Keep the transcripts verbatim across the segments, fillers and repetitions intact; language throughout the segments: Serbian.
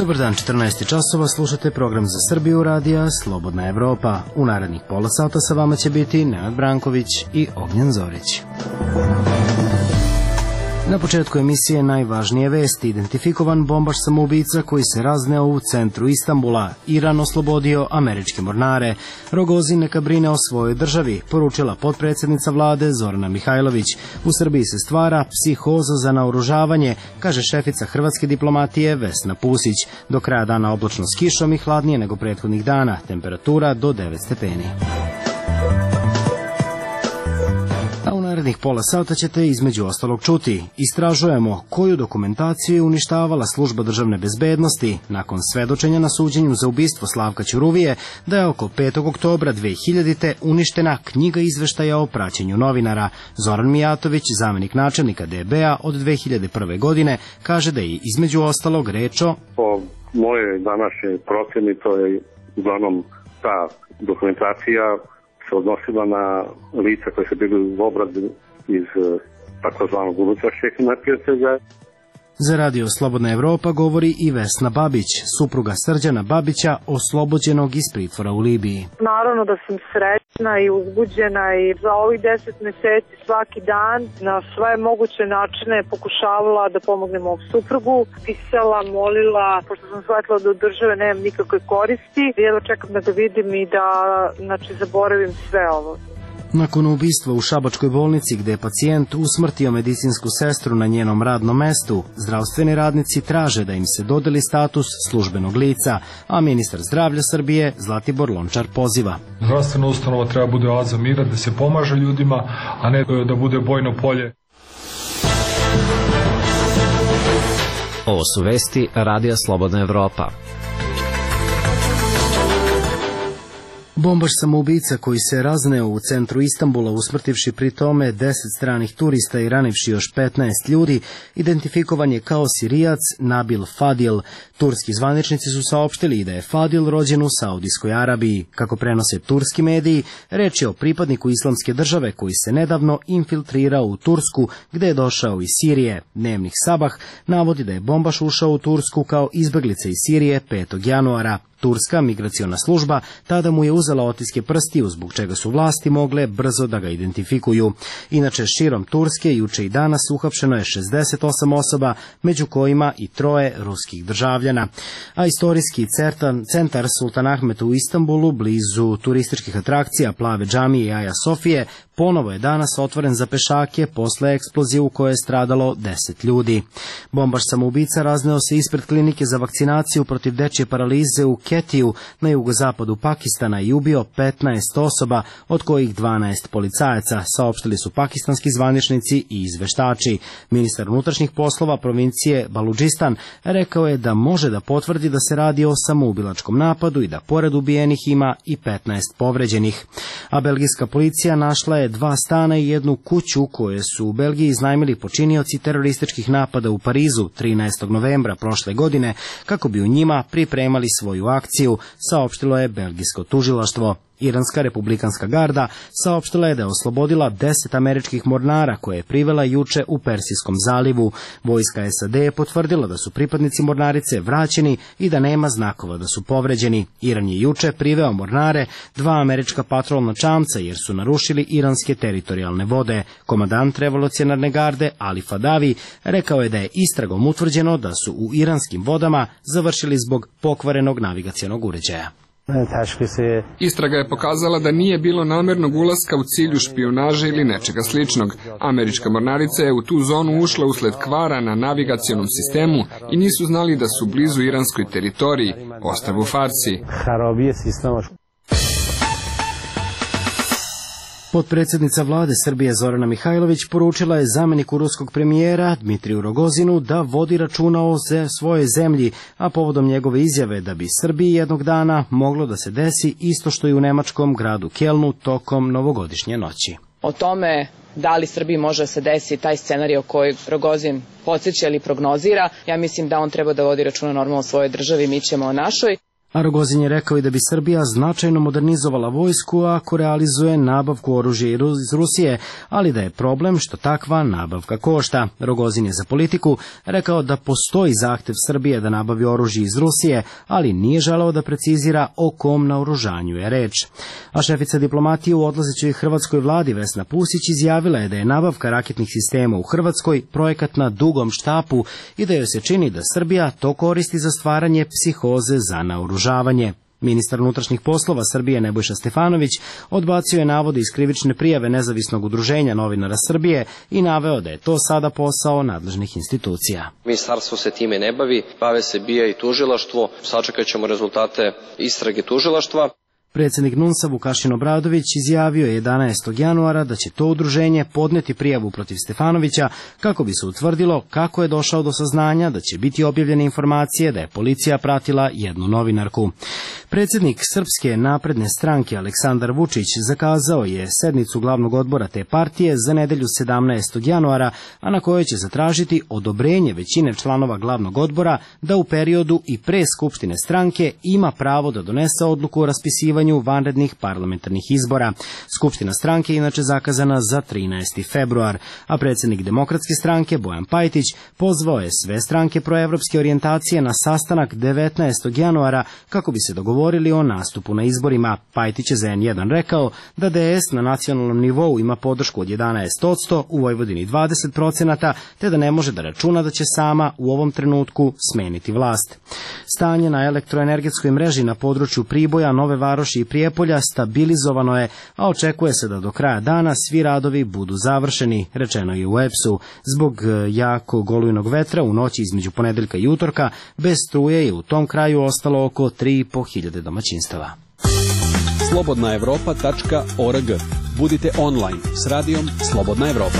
Dobar dan, četrnaest časova, slušate program za Srbiju radija Slobodna Evropa. U narednih pola sata sa vama će biti Nenad Branković i Ognjen Zorić. Na početku emisije najvažnije vesti. Identifikovan bombaš samoubica koji se razneo u centru Istanbula. Iran oslobodio američke mornare. Rogozin neka brine o svojoj državi, poručila potpredsjednica vlade Zorana Mihajlović. U Srbiji se stvara psihoza za naoružavanje, kaže šefica hrvatske diplomatije Vesna Pusić. Do kraja dana oblačno s kišom i hladnije nego prethodnih dana. Temperatura do devet stepeni. A u narednih pola sata ćete između ostalog čuti. Istražujemo koju dokumentaciju je uništavala služba državne bezbednosti nakon svedočenja na suđenju za ubistvo Slavka Ćuruvije da je oko petog oktobra dve hiljadite. uništena knjiga izveštaja o praćenju novinara. Zoran Mijatović, zamenik načelnika D B A od dve hiljade prve. godine, kaže da je između ostalog reč o... Po moje današnje procjeni to je uglavnom ta dokumentacija se odnosila na lica koje su bili u obradi iz takozvanog unutrašnjeg neprijatelja. Za radio Slobodna Evropa govori i Vesna Babić, supruga Srđana Babića, oslobođenog iz pritvora u Libiji. Naravno da sam srećna i uzbuđena i za ovih deset meseci svaki dan na sve moguće načine pokušavala da pomognem mog suprugu. Pisala, molila, pošto sam shvatila da od države nemam nikakve koristi. Jedva čekam da ga vidim i da znači, zaboravim sve ovo. Nakon ubistva u šabačkoj bolnici gde je pacijent usmrtio medicinsku sestru na njenom radnom mestu, zdravstveni radnici traže da im se dodeli status službenog lica, a ministar zdravlja Srbije Zlatibor Lončar poziva. Zdravstvena ustanova treba bude oaza mira, da se pomaže ljudima, a ne da bude bojno polje. Ovo su vesti radija Slobodna Evropa. Bombaš samoubica koji se razneo u centru Istanbula usmrtivši pri tome deset stranih turista i ranivši još petnaest ljudi, identifikovan je kao Sirijac Nabil Fadil. Turski zvaničnici su saopštili da je Fadil rođen u Saudijskoj Arabiji. Kako prenose turski mediji, reč je o pripadniku islamske države koji se nedavno infiltrirao u Tursku, gde je došao iz Sirije. Dnevnik Sabah navodi da je bombaš ušao u Tursku kao izbeglica iz Sirije petog januara. Turska migraciona služba tada mu je uzela otiske prstiju, zbog čega su vlasti mogle brzo da ga identifikuju. Inače, širom Turske juče i danas uhapšeno je šezdeset osam osoba, među kojima i troje ruskih državljana. A istorijski centar Sultan Ahmet u Istanbulu, blizu turističkih atrakcija Plave džamije i Aja Sofije, ponovo je danas otvoren za pešake posle eksplozije u kojoj je stradalo deset ljudi. Bombaš samoubica razneo se ispred klinike za vakcinaciju protiv dečje paralize u Ketiju na jugozapadu Pakistana i ubio petnaest osoba, od kojih dvanaest policajaca, saopštili su pakistanski zvaničnici i izveštači. Ministar unutrašnjih poslova provincije Baludžistan rekao je da može da potvrdi da se radi o samoubilačkom napadu i da pored ubijenih ima i petnaest povređenih. A belgijska policija našla je dva stana i jednu kuću koje su u Belgiji iznajmili počinioci terorističkih napada u Parizu trinaestog novembra prošle godine, kako bi u njima pripremali svoju akciju, saopštilo je belgijsko tužilaštvo. Iranska republikanska garda saopštila je da je oslobodila deset američkih mornara koje je privela juče u Persijskom zalivu. Vojska S A D je potvrdila da su pripadnici mornarice vraćeni i da nema znakova da su povređeni. Iran je juče priveo mornare, dva američka patrolna čamca, jer su narušili iranske teritorijalne vode. Komandant revolucionarne garde Ali Fadavi rekao je da je istragom utvrđeno da su u iranskim vodama završili zbog pokvarenog navigacionog uređaja. Istraga je pokazala da nije bilo namernog ulaska u cilju špijunaže ili nečega sličnog. Američka mornarica je u tu zonu ušla usled kvara na navigacionom sistemu i nisu znali da su blizu iranskoj teritoriji, ostrvu Farsi. Potpredsjednica vlade Srbije Zorana Mihajlović poručila je zameniku ruskog premijera Dmitriju Rogozinu da vodi računa o svojoj zemlji, a povodom njegove izjave da bi Srbiji jednog dana moglo da se desi isto što i u nemačkom gradu Kelnu tokom novogodišnje noći. O tome da li Srbiji može da se desi taj scenarij o koji Rogozin podsjeća ili prognozira, ja mislim da on treba da vodi računa normalno o svojoj državi, mi ćemo o našoj. A Rogozin je rekao i da bi Srbija značajno modernizovala vojsku ako realizuje nabavku oružja iz Rusije, ali da je problem što takva nabavka košta. Rogozin je za Politiku rekao da postoji zahtev Srbije da nabavi oružje iz Rusije, ali nije želeo da precizira o kom naoružanju je reč. A šefica diplomatije u odlazećoj hrvatskoj vladi Vesna Pusić izjavila je da je nabavka raketnih sistema u Hrvatskoj projekat na dugom štapu i da joj se čini da Srbija to koristi za stvaranje psihoze za naoružanje. Ministar unutrašnjih poslova Srbije Nebojša Stefanović odbacio je navode iz krivične prijave Nezavisnog udruženja novinara Srbije i naveo da je to sada posao nadležnih institucija. Ministarstvo se time ne bavi, bave se B I A i tužilaštvo, sačekat ćemo rezultate istrage tužilaštva. Predsjednik NUNS-a Vukašin Obradović izjavio je jedanaestog januara da će to udruženje podneti prijavu protiv Stefanovića kako bi se utvrdilo kako je došao do saznanja da će biti objavljene informacije da je policija pratila jednu novinarku. Predsjednik Srpske napredne stranke Aleksandar Vučić zakazao je sednicu glavnog odbora te partije za nedelju sedamnaestog januara, a na kojoj će zatražiti odobrenje većine članova glavnog odbora da u periodu i pre skupštine stranke ima pravo da donese odluku o raspisivanju vanrednih parlamentarnih izbora. Skupština stranke je inače zakazana za trinaesti februar, a predsjednik Demokratske stranke Bojan Pajtić pozvao je sve stranke proevropske orijentacije na sastanak devetnaestog januara kako bi se dogovorili o nastupu na izborima. Pajtić je za en jedan rekao da D S na nacionalnom nivou ima podršku od jedanaest posto, u Vojvodini dvadeset posto, te da ne može da računa da će sama u ovom trenutku smeniti vlast. Stanje na elektroenergetskoj mreži na području Priboja, Nove Varoši i Prijepolja stabilizovano je, a očekuje se da do kraja dana svi radovi budu završeni, rečeno je u E P S-u. Zbog jakog olujnog vetra u noći između ponedeljka i utorka bez struje je u tom kraju ostalo oko tri i po hiljade domaćinstava. slobodna evropa tačka org. Budite online s radijom Slobodna Evropa.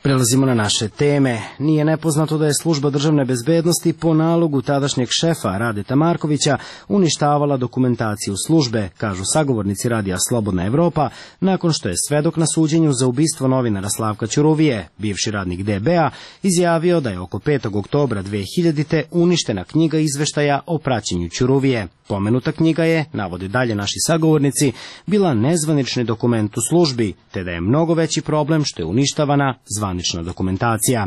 Prelazimo na naše teme. Nije nepoznato da je služba državne bezbednosti po nalogu tadašnjeg šefa Radeta Markovića uništavala dokumentaciju službe, kažu sagovornici radija Slobodna Evropa, nakon što je svedok na suđenju za ubistvo novinara Slavka Ćuruvije, bivši radnik D B A, izjavio da je oko petog oktobra dve hiljadite. uništena knjiga izveštaja o praćenju Ćuruvije. Pomenuta knjiga je, navode dalje naši sagovornici, bila nezvanični dokument u službi, te da je mnogo veći problem što je uništavana zvanična dokumentacija.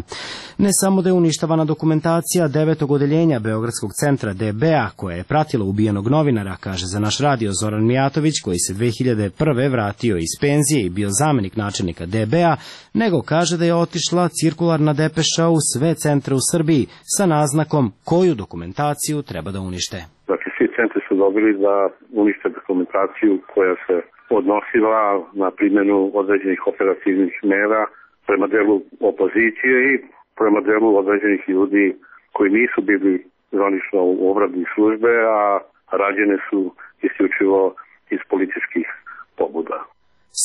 Ne samo da je uništavana dokumentacija devetog odeljenja Beogradskog centra D B A, koja je pratila ubijenog novinara, kaže za naš radio Zoran Mijatović, koji se dve hiljade prve. vratio iz penzije i bio zamenik načelnika D B A, nego kaže da je otišla cirkularna depeša u sve centre u Srbiji sa naznakom koju dokumentaciju treba da unište. Znači, svi centri su dobili da unište dokumentaciju koja se odnosila na primjenu određenih operativnih mera prema delu opozicije i prema delu određenih ljudi koji nisu bili zvanično u obradi službe, a rađene su isključivo iz političkih pobuda.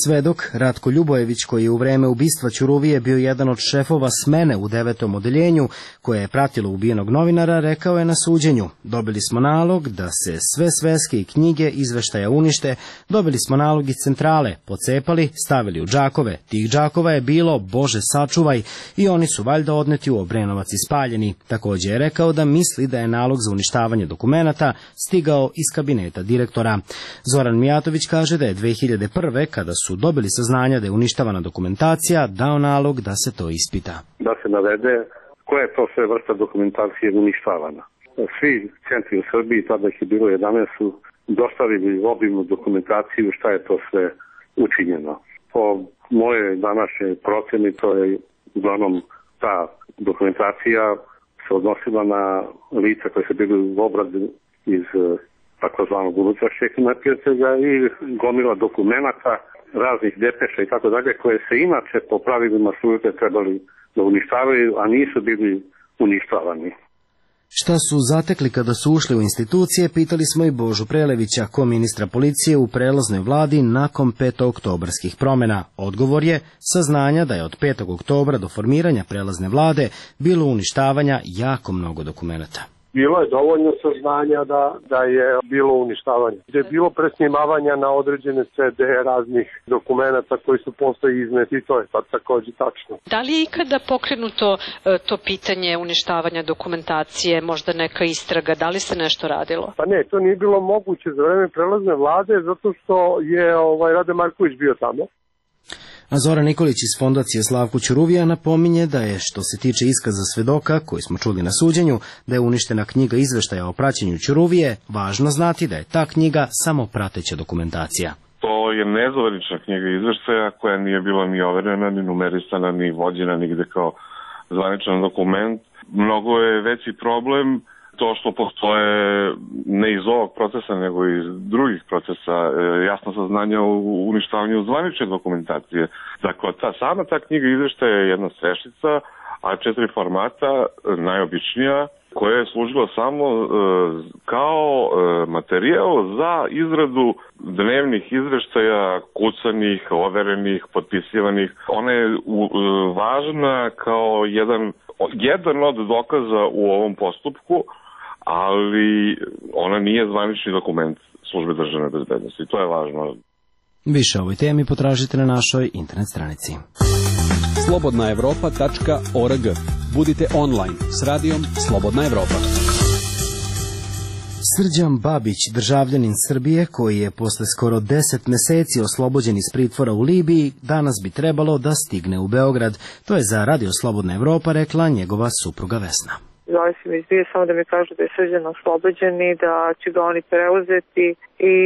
Svedok Ratko Ljubojević, koji je u vreme ubistva Ćuruvije bio jedan od šefova smene u devetom odeljenju koje je pratilo ubijenog novinara, rekao je na suđenju: dobili smo nalog da se sve sveske i knjige izveštaja unište, dobili smo nalog iz centrale, pocepali, stavili u džakove, tih džakova je bilo, Bože sačuvaj, i oni su valjda odneti u Obrenovac i spaljeni. Također je rekao da misli da je nalog za uništavanje dokumenata stigao iz kabineta direktora. Zoran Mijatović kaže da je dve hiljade prve. kada su dobili saznanja da je uništavana dokumentacija, dao nalog da se to ispita. Da se navede koja je to sve vrsta dokumentacije uništavana. Svi centri u Srbiji, tada ih je bilo jedanaest, su dostavili obimnu dokumentaciju šta je to sve učinjeno. Po moje današnje proceni, to je uglavnom ta dokumentacija se odnosila na lica koje su bili u obradi iz takozvanog unutrašnjeg neprijatelja i gomila dokumenata, raznih depeša i tako dalje, koje se inače po pravilima službe trebali da uništavaju, a nisu bili uništavani. Šta su zatekli kada su ušli u institucije, pitali smo i Božu Prelevića, ko-ministra policije u prelaznoj vladi nakon petooktobarskih promjena. Odgovor je saznanja da je od petog oktobra do formiranja prelazne vlade bilo uništavanja jako mnogo dokumenata. Bilo je dovoljno saznanja da, da je bilo uništavanje. Da je bilo presnimavanja na određene ce de raznih dokumenata koji su postoji izneti i to je takođe tačno. Da li je ikada pokrenuto to pitanje uništavanja dokumentacije, možda neka istraga, da li se nešto radilo? Pa ne, to nije bilo moguće za vreme prelazne vlade zato što je ovaj, Rade Marković bio tamo. A Zoran Nikolić iz Fondacije Slavko Ćuruvija napominje da je, što se tiče iskaza svedoka, koji smo čuli na suđenju, da je uništena knjiga izveštaja o praćenju Ćuruvije, važno znati da je ta knjiga samo prateća dokumentacija. To je nezvanična knjiga izveštaja koja nije bila ni overena, ni numerisana, ni vođena nigde kao zvaničan dokument. Mnogo je veći problem to što postoje ne iz ovog procesa, nego iz drugih procesa jasno saznanja o uništavanju zvanične dokumentacije. Dakle, ta, sama ta knjiga izveštaja je jedna svešica, a četiri formata, najobičnija, koja je služila samo e, kao e, materijal za izradu dnevnih izveštaja, kucanih, overenih, potpisivanih. Ona je u, e, važna kao jedan, jedan od dokaza u ovom postupku, ali ona nije zvanični dokument Službe državne bezbednosti. To je važno. Više o ovoj temi potražite na našoj internet stranici. slobodna evropa tačka org. Budite online s radijom Slobodna Evropa. Srđan Babić, državljanin Srbije, koji je posle skoro deset meseci oslobođen iz pritvora u Libiji, danas bi trebalo da stigne u Beograd. To je za Radio Slobodna Evropa rekla njegova supruga Vesna. Zove se mi izbije samo da mi kažu da je Srđan oslobođen i da će ga oni preuzeti i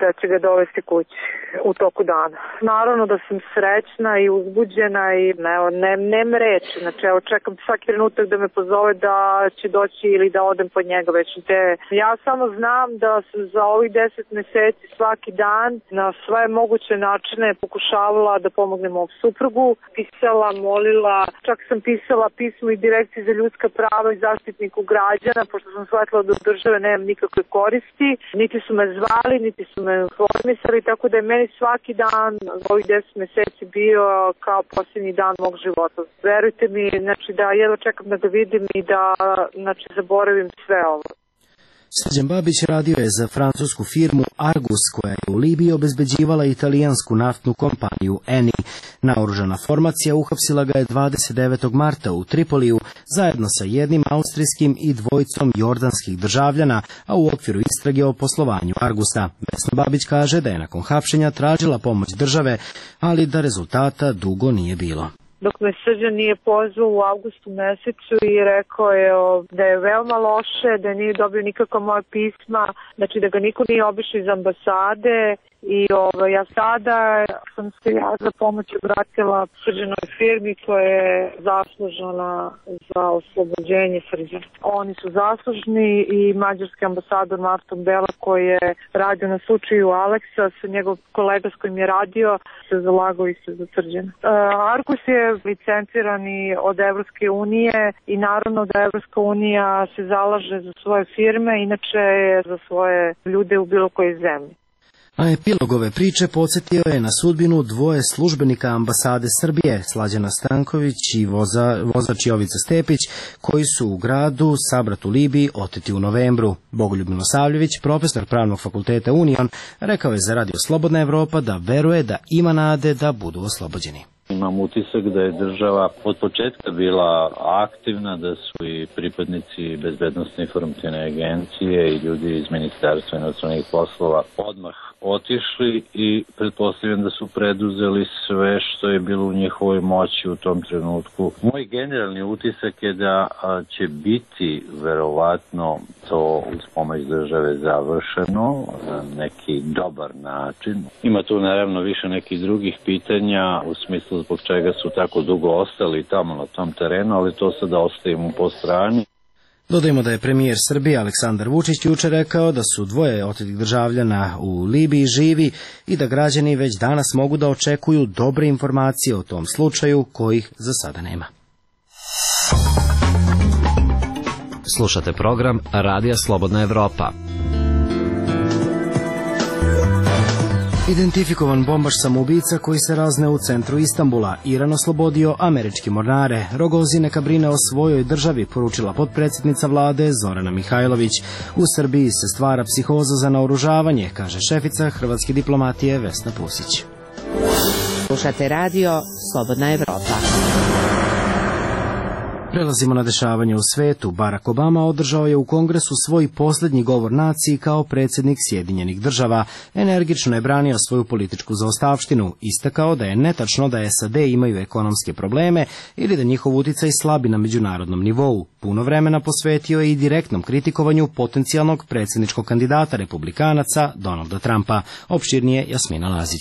da će ga dovesti kući u toku dana. Naravno da sam srećna i uzbuđena i ne, ne, nem reći. Znači, evo, čekam svaki trenutak da me pozove da će doći ili da odem pod njega već te. Ja samo znam da sam za ovih deset meseci svaki dan na sve moguće načine pokušavala da pomognem mom suprugu. Pisala, molila, čak sam pisala pismo i Direkciji za ljudska prava i zaštitniku građana, pošto sam shvatila da od države nemam nikakve koristi, niti su me zvali, niti su me informisali, tako da je meni svaki dan ovih deset meseci bio kao posljednji dan mog života. Verujte mi, znači da jedva čekam da ga vidim i da znači, zaboravim sve ovo. Srđan Babić radio je za francusku firmu Argus, koja je u Libiji obezbeđivala italijansku naftnu kompaniju Eni. Naoružana formacija uhapsila ga je dvadeset devetog marta u Tripoliju zajedno sa jednim austrijskim i dvojicom jordanskih državljana, a u okviru istrage o poslovanju Argusa. Vesna Babić kaže da je nakon hapšenja tražila pomoć države, ali da rezultata dugo nije bilo. Dok me Srđan nije pozvao u avgustu mesecu i rekao je o, da je veoma loše, da nije dobio nikakva moja pisma, znači da ga niko nije obišao iz ambasade i ovo, ja sada sam se ja za pomoć obratila Srđanoj firmi koja je zaslužena za oslobođenje Srđana. Oni su zaslužni i mađarski ambasador Marton Bela koji je radio na slučaju Aleksa, njegov kolega s kojim je radio se zalagao isto za Srđana. Uh, Argus je licencirani od Evropske unije i naravno da Evropska unija se zalaže za svoje firme, inače za svoje ljude u bilo kojoj zemlji. A epilog ove priče podsjetio je na sudbinu dvoje službenika ambasade Srbije, Slađana Stanković i voza, vozač Jovica Stepić, koji su u gradu Sabrat u Libiji oteti u novembru. Bogoljub Milosavljević, profesor Pravnog fakulteta Union, rekao je za Radio Slobodna Evropa da veruje da ima nade da budu oslobođeni. Imam utisak da je država od početka bila aktivna, da su i pripadnici bezbednostne informativne agencije i ljudi iz Ministarstva inostranih poslova odmah otišli i pretpostavljam da su preduzeli sve što je bilo u njihovoj moći u tom trenutku. Moj generalni utisak je da će biti verovatno to uz pomoć države završeno na neki dobar način. Ima tu naravno više nekih drugih pitanja u smislu zbog čega su tako dugo ostali tamo na tom terenu, ali to sada ostavimo po strani. Dodajmo da je premijer Srbije Aleksandar Vučić juče rekao da su dvoje otetih državljana u Libiji živi i da građani već danas mogu da očekuju dobre informacije o tom slučaju kojih za sada nema. Slušate program Radija Slobodna Evropa. Identifikovan bombaš samoubica koji se razneo u centru Istanbula. Iran oslobodio američke mornare. Rogozin neka brine o svojoj državi, poručila potpredsjednica vlade Zorana Mihajlović. U Srbiji se stvara psihoza za naoružavanje, kaže šefica hrvatske diplomatije Vesna Pusić. Slušate radio Slobodna Evropa. Prelazimo na dešavanje u svetu. Barack Obama održao je u Kongresu svoj posljednji govor naciji kao predsjednik Sjedinjenih država. Energično je branio svoju političku zaostavštinu. Istakao da je netačno da S A D imaju ekonomske probleme ili da njihov uticaj slabi na međunarodnom nivou. Puno vremena posvetio je i direktnom kritikovanju potencijalnog predsjedničkog kandidata republikanaca Donalda Trumpa. Opširnije Jasmina Lazić.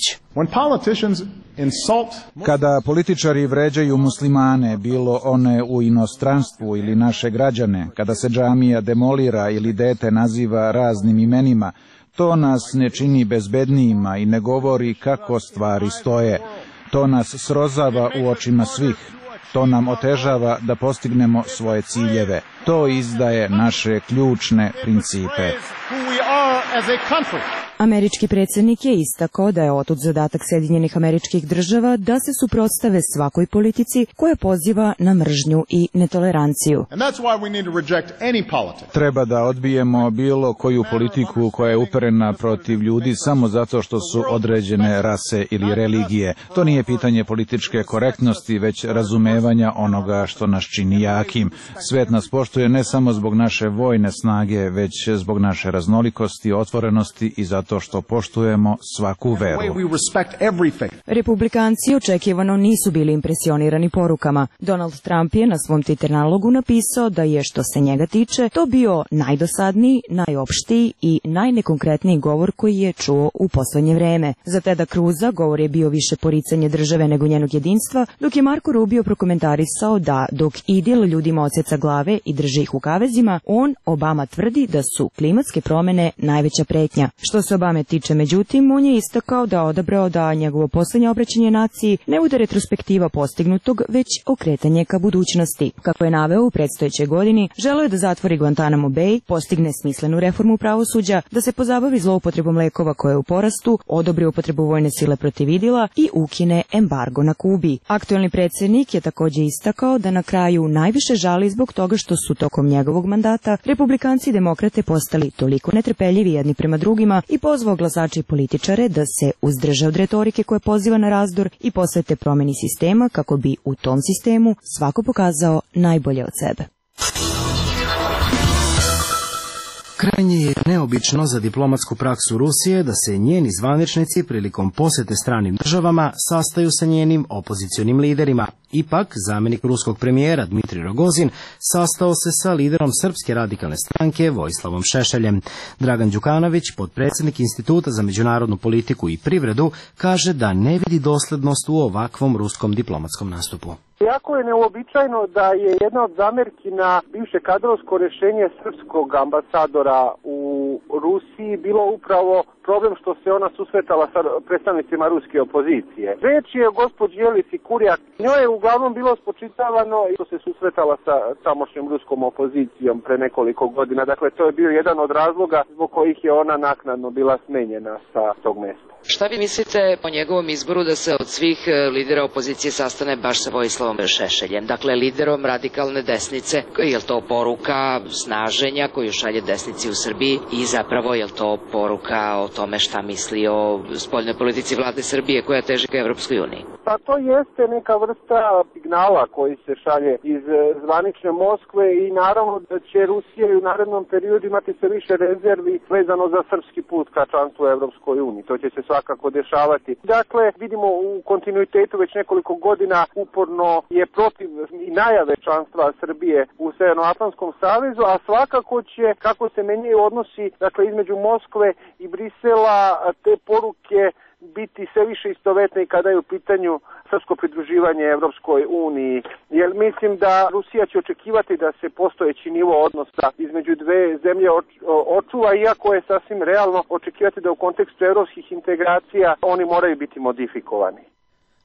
Kada političari vređaju muslimane, bilo one u inostranstvu ili naše građane, kada se džamija demolira ili dete naziva raznim imenima, to nas ne čini bezbednijima i ne govori kako stvari stoje. To nas srozava u očima svih. To nam otežava da postignemo svoje ciljeve. To izdaje naše ključne principe. Američki predsjednik je istakao da je otud zadatak Sjedinjenih Američkih Država da se suprotstave svakoj politici koja poziva na mržnju i netoleranciju. Treba da odbijemo bilo koju politiku koja je uperena protiv ljudi samo zato što su određene rase ili religije. To nije pitanje političke korektnosti, već razumevanja onoga što nas čini jakim. Svet nas poštuje ne samo zbog naše vojne snage, već zbog naše raznolikosti, otvorenosti i zato to što poštujemo svaku veru. Republikanci očekivano nisu bili impresionirani porukama. Donald Trump je na svom Twitter nalogu napisao da je, što se njega tiče, to bio najdosadniji, najopštiji i najnekonkretniji govor koji je čuo u poslednje vreme. Za Teda Cruza govor je bio više poricanje države nego njenog jedinstva, dok je Marco Rubio prokomentarisao da dok idil ljudima odseca glave i drži ih u kavezima, on, Obama, tvrdi da su klimatske promene najveća pretnja. Što se Obame tiče, međutim, on je istakao da odabrao da njegovo poslednje obraćanje naciji ne bude retrospektiva postignutog, već okretanje ka budućnosti. Kako je naveo, u predstojećoj godini želeo je da zatvori Guantanamo Bay, postigne smislenu reformu pravosuđa, da se pozabavi zloupotrebom lekova koja je u porastu, odobri upotrebu vojne sile protiv idila i ukine embargo na Kubi. Aktuelni predsjednik je takođe istakao da na kraju najviše žali zbog toga što su tokom njegovog mandata republikanci i demokrate postali toliko netrpeljivi jedni prema drugima i pozvao glasače i političare da se uzdrže od retorike koja poziva na razdor i posvete promeni sistema kako bi u tom sistemu svako pokazao najbolje od sebe. Krajnje je neobično za diplomatsku praksu Rusije da se njeni zvaničnici prilikom posete stranim državama sastaju sa njenim opozicionim liderima. Ipak, zamjenik ruskog premijera Dmitrij Rogozin sastao se sa liderom Srpske radikalne stranke Vojislavom Šešeljem. Dragan Đukanović, potpredsjednik Instituta za međunarodnu politiku i privredu, kaže da ne vidi doslednost u ovakvom ruskom diplomatskom nastupu. Jako je neuobičajeno da je jedna od zamerki na bivše kadrovsko rješenje srpskog ambasadora u Rusiji bilo upravo problem što se ona susretala sa predstavnicima ruske opozicije. Reč je o gospođi Jelici Kurjak. Njoj je uglavnom bilo spočitavano što se susretala sa tamošnjom ruskom opozicijom pre nekoliko godina. Dakle, to je bio jedan od razloga zbog kojih je ona naknadno bila smenjena sa tog mjesta. Šta vi mislite o njegovom izboru da se od svih lidera opozicije sastane baš sa Vojislavom Šešeljem, dakle liderom radikalne desnice? Je li to poruka snaženja koju šalje desnici u Srbiji i zapravo je li to poruka o tome šta misli o spoljnoj politici vlade Srbije koja teži ka Evropskoj uniji? Pa to jeste neka vrsta signala koji se šalje iz zvanične Moskve i naravno da će Rusija u narednom periodu imati sve više rezervi vezano za srpski put ka članstvu u Evropskoj uniji. To će se svakako dešavati. Dakle, vidimo u kontinuitetu već nekoliko godina uporno je protiv i najave članstva Srbije u Severnoatlantskom savezu, a svakako će, kako se menjaju odnosi, dakle, između Moskve i Brisela, te poruke biti sve više istovetne i kada je u pitanju srpsko pridruživanje Evropskoj uniji. Jer mislim da Rusija će očekivati da se postojeći nivo odnosa između dve zemlje očuva, iako je sasvim realno očekivati da u kontekstu evropskih integracija oni moraju biti modifikovani.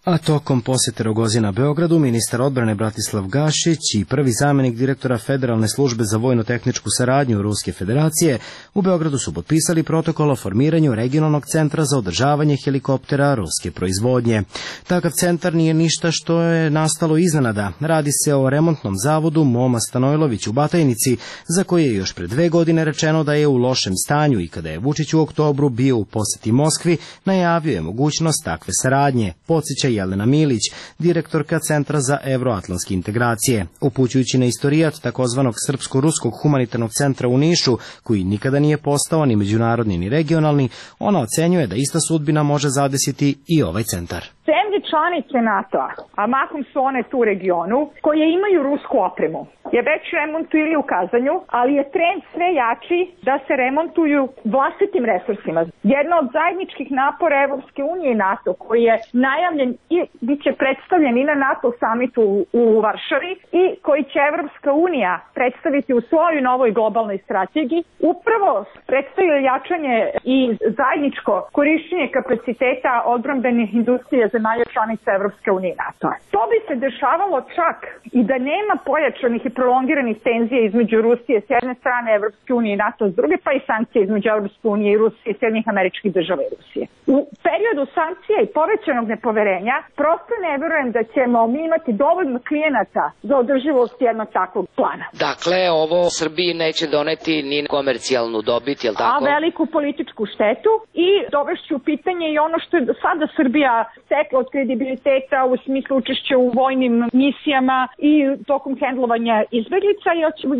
A tokom posjete Rogozina Beogradu, ministar odbrane Bratislav Gašić i prvi zamjenik direktora Federalne službe za vojno-tehničku saradnju Ruske federacije u Beogradu su potpisali protokol o formiranju regionalnog centra za održavanje helikoptera ruske proizvodnje. Takav centar nije ništa što je nastalo iznenada. Radi se o remontnom zavodu Moma Stanojlović u Batajnici, za koji je još pre dve godine rečeno da je u lošem stanju i kada je Vučić u oktobru bio u posjeti Moskvi, najavio je mogućnost takve saradnje, podsjeća Jelena Milić, direktorka Centra za evroatlantske integracije. Upućujući na istorijat takozvanog Srpsko-ruskog humanitarnog centra u Nišu, koji nikada nije postao ni međunarodni ni regionalni, ona ocenjuje da ista sudbina može zadesiti i ovaj centar. Zemlje članice NATO-a, a mahom su one tu u regionu, koje imaju rusku opremu, je već remontu ili u kazanju, ali je trend sve jači da se remontuju vlastitim resursima. Jedna od zajedničkih napora Evropske unije i NATO, koji je najavljen i bit će predstavljen i na NATO samitu u Varšavi i koji će Evropska unija predstaviti u svojoj novoj globalnoj strategiji, upravo predstavlja jačanje i zajedničko korišćenje kapaciteta odbrambenih industrija zemalja članica Evropske unije i NATO-a. To bi se dešavalo čak i da nema pojačanih i prolongiranih tenzija između Rusije s jedne strane, Evropske unije i NATO s druge, pa i sankcije između Evropske unije i Rusije i Sjedinjenih Američkih Država i Rusije. U periodu sankcija i povećanog nepoverenja prosto ne verujem da ćemo mi imati dovoljno klijenata za održivost jednog takvog plana. Dakle, ovo Srbiji neće doneti ni komercijalnu dobit, je li tako? A veliku političku štetu i dovešću u pitanje i ono što je do sada Srbija stekla od kredibiliteta u smislu učešća u vojnim misijama i tokom hendlovanja izbeglica,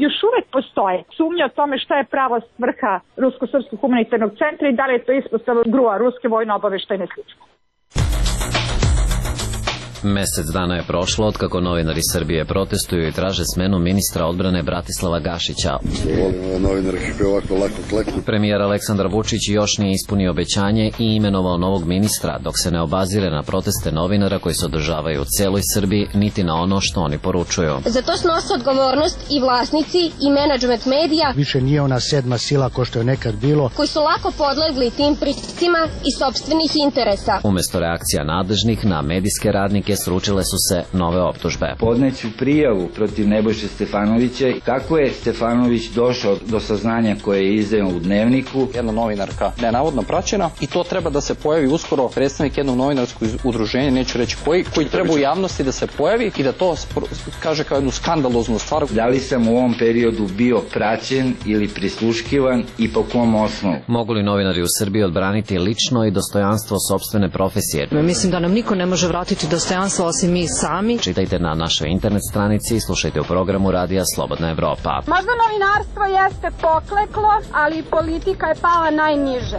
još uvek postoje sumnja o tome šta je prava svrha Rusko-srpskog humanitarnog centra i da li je to ispostava grua Ruske vojno-obaveštajne službe. Mesec dana je prošlo od kako novinari Srbije protestuju i traže smenu ministra odbrane Bratislava Gašića. Premijer Aleksandar Vučić još nije ispunio obećanje i imenovao novog ministra, dok se ne obazire na proteste novinara koji se održavaju u celoj Srbiji, niti na ono što oni poručuju. Za to snose odgovornost i vlasnici i menadžment medija. Više nije ona sedma sila ko što je nekad bilo. Koji su lako podlegli tim pritiscima i sopstvenih interesa. Umesto reakcija nadležnih na medijske radnike sručile su se nove optužbe. Podneću prijavu protiv Nebojše Stefanovića. Kako je Stefanović došao do saznanja koje je izdao u Dnevniku? Jedna novinarka da je navodno praćena i to treba da se pojavi uskoro predstavnik jednog novinarskog udruženja, neću reći koji, koji treba u javnosti da se pojavi i da to kaže kao jednu skandaloznu stvar. Da li sam u ovom periodu bio praćen ili prisluškivan i po kom osnovu? Mogu li novinari u Srbiji odbraniti lično i dostojanstvo sopstvene profesije? Mislim da nam niko ne može vratiti dostojanstvo osim mi sami. Čitajte na našoj internet stranici i slušajte u programu Radija Slobodna Evropa. Možda novinarstvo jeste pokleklo, ali politika je pala najniže.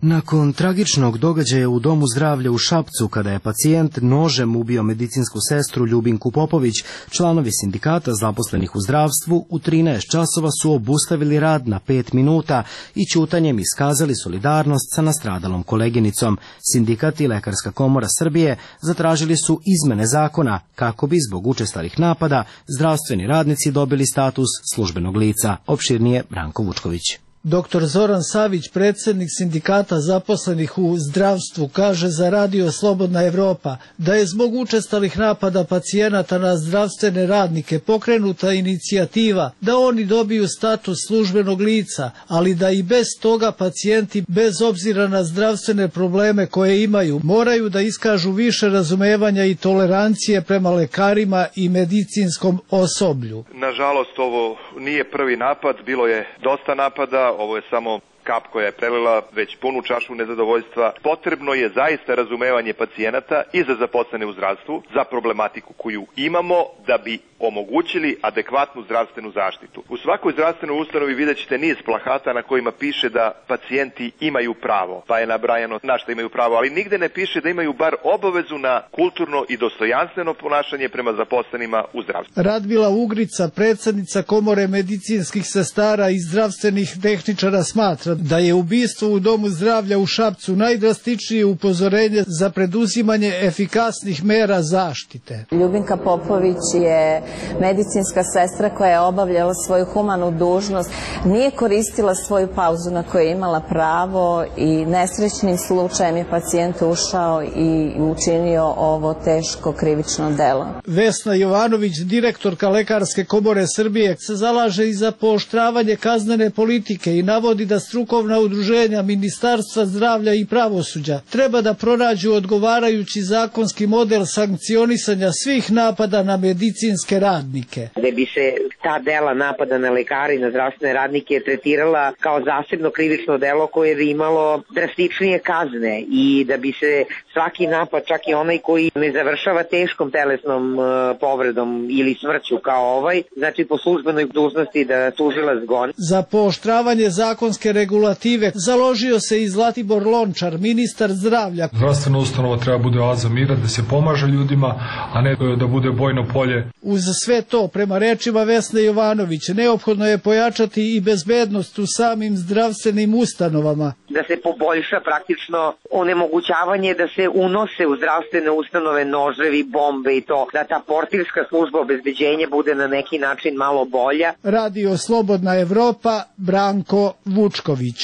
Nakon tragičnog događaja u Domu zdravlja u Šapcu, kada je pacijent nožem ubio medicinsku sestru Ljubinku Popović, članovi sindikata zaposlenih u zdravstvu u trinaest časova su obustavili rad na pet minuta i ćutanjem iskazali solidarnost sa nastradalom koleginicom. Sindikat i Lekarska komora Srbije zatražili su izmene zakona kako bi zbog učestalih napada zdravstveni radnici dobili status službenog lica. Opširnije Branko Vučković. Doktor Zoran Savić, predsjednik sindikata zaposlenih u zdravstvu, kaže za Radio Slobodna Evropa da je zbog učestalih napada pacijenata na zdravstvene radnike pokrenuta inicijativa da oni dobiju status službenog lica, ali da i bez toga pacijenti, bez obzira na zdravstvene probleme koje imaju, moraju da iskažu više razumevanja i tolerancije prema lekarima i medicinskom osoblju. Nažalost, ovo nije prvi napad, bilo je dosta napada. Ovo je samo kap koja je prelila već punu čašu nezadovoljstva. Potrebno je zaista razumevanje pacijenata i za zaposlene u zdravstvu, za problematiku koju imamo da bi omogućili adekvatnu zdravstvenu zaštitu. U svakoj zdravstvenoj ustanovi vidjet ćete niz plakata na kojima piše da pacijenti imaju pravo, pa je nabrajano na što imaju pravo, ali nigde ne piše da imaju bar obavezu na kulturno i dostojanstveno ponašanje prema zaposlenima u zdravstvu. Radmila Ugrica, predsjednica Komore medicinskih sestara i zdravstvenih tehničara, smatra smatra da je ubistvo u Domu zdravlja u Šapcu najdrastičnije upozorenje za preduzimanje efikasnih mera zaštite. Ljubinka Popović je medicinska sestra koja je obavljala svoju humanu dužnost, nije koristila svoju pauzu na koju je imala pravo i nesrećnim slučajem je pacijent ušao i učinio ovo teško krivično delo. Vesna Jovanović, direktorka Lekarske komore Srbije, se zalaže i za pooštravanje kaznene politike i navodi da strukovna udruženja Ministarstva zdravlja i pravosuđa treba da pronađu odgovarajući zakonski model sankcionisanja svih napada na medicinske radnike. Da bi se ta dela napada na lekare i na zdravstvene radnike tretirala kao zasebno krivično delo koje bi imalo drastičnije kazne i da bi se svaki napad, čak i onaj koji ne završava teškom telesnom uh, povredom ili smrću kao ovaj, znači po službenoj dužnosti da tužilac goni. Za pooštravanje zakonske regulative založio se i Zlatibor Lončar, ministar zdravlja. Zdravstvena ustanova treba bude oaza mira, da se pomaže ljudima, a ne da bude bojno polje. Uz sve to, prema rečima Vesne Jovanović, neophodno je pojačati i bezbednost u samim zdravstvenim ustanovama. Da se poboljša praktično onemogućavanje da se unose u zdravstvene ustanove noževi, bombe i to, da ta portirska služba obezbeđenja bude na neki način malo bolja. Radio Slobodna Evropa, Branko Vučković.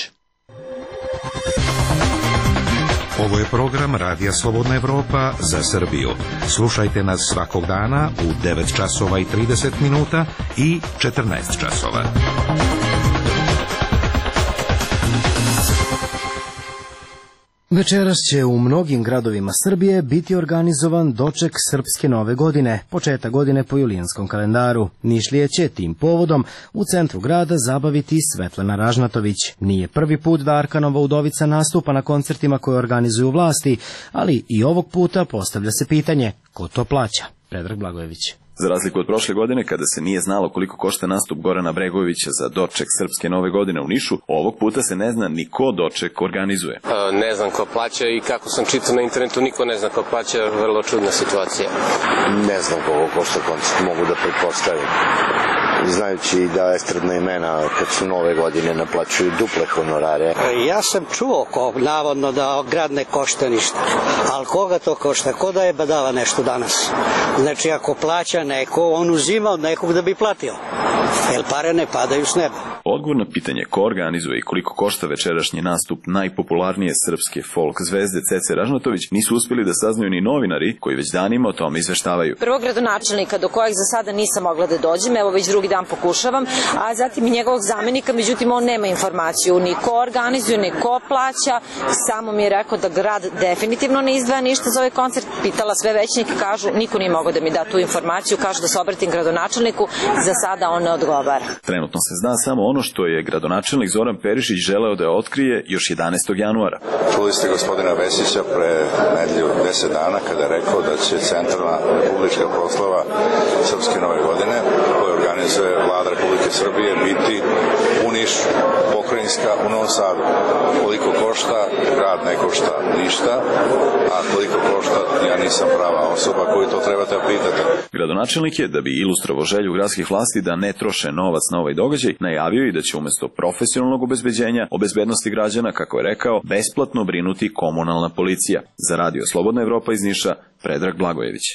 Ovo je program Radija Slobodna Evropa za Srbiju. Slušajte nas svakog dana u devet časova i trideset minuta i četrnaest časova. Večeras će u mnogim gradovima Srbije biti organizovan doček Srpske nove godine, početak godine po julijanskom kalendaru. Nišlije će tim povodom u centru grada zabaviti Svetlana Ražnatović. Nije prvi put da Arkanova udovica nastupa na koncertima koje organizuju vlasti, ali i ovog puta postavlja se pitanje ko to plaća. Predrag Blagojević. Za razliku od prošle godine, kada se nije znalo koliko košta nastup Gorana Bregovića za doček Srpske nove godine u Nišu, ovog puta se ne zna ni ko doček organizuje. E, ne znam ko plaća i kako sam čitao na internetu, niko ne zna ko plaća, vrlo čudna situacija. Ne znam koliko košta koncert, mogu da pretpostavim. Znajući da estradna imena kad su nove godine naplaćuju duple honorare. Ja sam čuo ko, navodno da grad ne košta ništa, ali koga to košta? Ko da je badava nešto danas? Znači ako plaća neko, on uzima od nekog da bi platio, jer pare ne padaju s neba. Odgovor na pitanje ko organizuje i koliko košta večerašnji nastup najpopularnije srpske folk zvezde Cece Ražnatović nisu uspjeli da saznaju ni novinari koji već danima o tome izveštavaju. Prvog gradonačelnika do kojeg za sada nisam mogla da dođem, evo već drugi dan pokušavam, a zatim i njegovog zamenika, međutim on nema informaciju ni ko organizuje, ni ko plaća, samo mi je rekao da grad definitivno ne izdvaja ništa za ovaj koncert, pitala sve većnike, kažu niko nije mogao da mi da tu informaciju, kažu da se obratim gradonačelniku, za sada on ne odgovara. Trenutno se zna samo ono što je gradonačelnik Zoran Perišić želeo da otkrije još jedanaestog januara. Čuli ste gospodina Vesića pre nedelju deset dana kada je rekao da će centralna publička proslava Srpske nove godine koju organizuje Vlada Republike Srbije biti u Nišu, pokrajinska u Novom Sadu. Koliko košta, grad ne košta ništa, a koliko košta, ja nisam prava osoba koju to trebate pitati. Gradonačelnik je, da bi ilustrovao želju gradskih vlasti da ne troše novac na ovaj događaj, najavio i da će umjesto profesionalnog obezbeđenja o bezbednosti građana, kako je rekao, besplatno brinuti komunalna policija. Za Radio Slobodna Evropa iz Niša, Predrag Blagojević.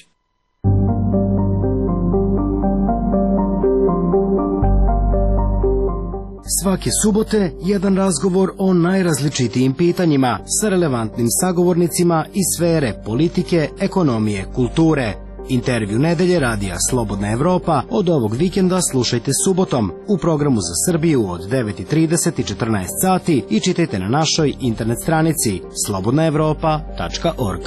Svake subote jedan razgovor o najrazličitijim pitanjima sa relevantnim sagovornicima iz sfere politike, ekonomije, kulture. Intervju nedelje Radija Slobodna Evropa od ovog vikenda slušajte subotom u programu za Srbiju od devet i trideset i četrnaest sati i čitajte na našoj internet stranici slobodna evropa tačka org.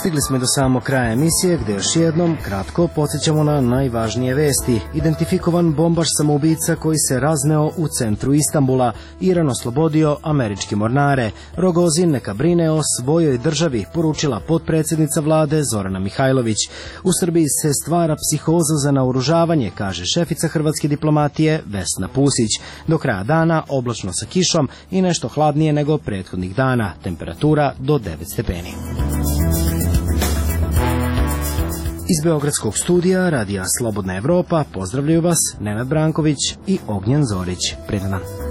Stigli smo i do samog kraja emisije, gde još jednom kratko podsjećamo na najvažnije vesti. Identifikovan bombaš samoubica koji se razneo u centru Istanbula. Iran oslobodio američke mornare. Rogozin neka brine o svojoj državi, poručila potpredsjednica vlade Zorana Mihajlović. U Srbiji se stvara psihoza za naoružavanje, kaže šefica hrvatske diplomatije Vesna Pusić. Do kraja dana oblačno sa kišom i nešto hladnije nego prethodnih dana. Temperatura do devet stepeni. Iz Beogradskog studija Radija Slobodna Evropa pozdravljaju vas Nenad Branković i Ognjen Zorić. Prijatno dan.